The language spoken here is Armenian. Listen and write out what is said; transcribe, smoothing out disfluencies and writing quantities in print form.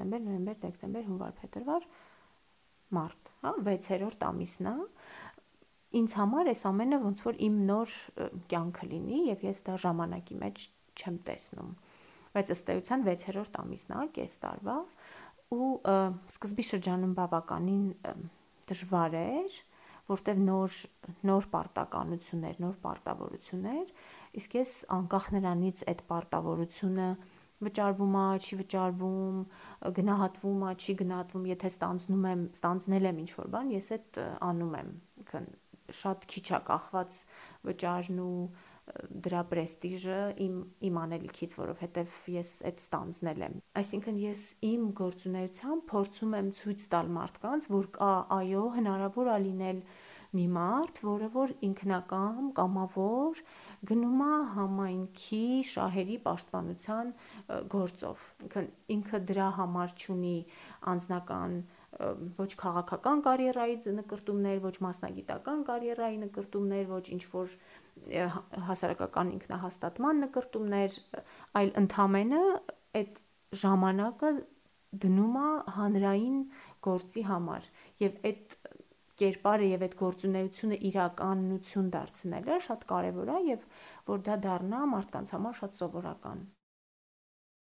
հոկտեմբեր, նոյեմբեր, դեկտեմբեր, հունվար, փետրվար, մարտ, հա, 6-րդ ամիսն է։ Ինձ համար այս ամենը ոնց որ իմ նոր կյանքը լինի եւ ես դա ժամանակի մեջ չեմ տեսնում։ Բայց ըստ էության 6-րդ ամիսն է, կես տարվա, ու սկզբի շրջանում բավականին դժվար էր, որտեվ նոր պարտականություններ, նոր պարտավորություններ, իսկ ես անկախ նրանից այդ պարտավորությունը վճարվում է, չի վճարվում, գնահատվում է, չի գնահատվում, եթե ստանձնել եմ ինչ-որ բան, ես այդ անում եմ, շատ քիչ է կախված վճարն ու դրա պրեստիժը իմ անելիքից, որովհետև ես այդ ստանձնել եմ։ Այսինքն ես իմ գործունեությամբ փորձում եմ ցույց տալ մարդկանց, որ կա, այո, հնարավոր է լինել մի մարդ, որը որ ինքնակամ, կամավոր գնում է համայնքի շահերի պաշտպանության գործով։ Ինքը դրա համար չունի անձնական ոչ քաղաքական կարիերայի նկրտումներ, ոչ մասնագիտական կարիերայի նկրտումներ, ոչ ինչ-որ հասարակական ինքնահաստատման նկրտումներ, այլ ընդամենը այդ ժամանակը դնում է հանրային գործի համար եւ այդ կերպարը եւ այդ գործունեությունը իրականություն դարձնելը շատ կարեւոր է եւ որ դա դառնա մարդկանց համար շատ սովորական։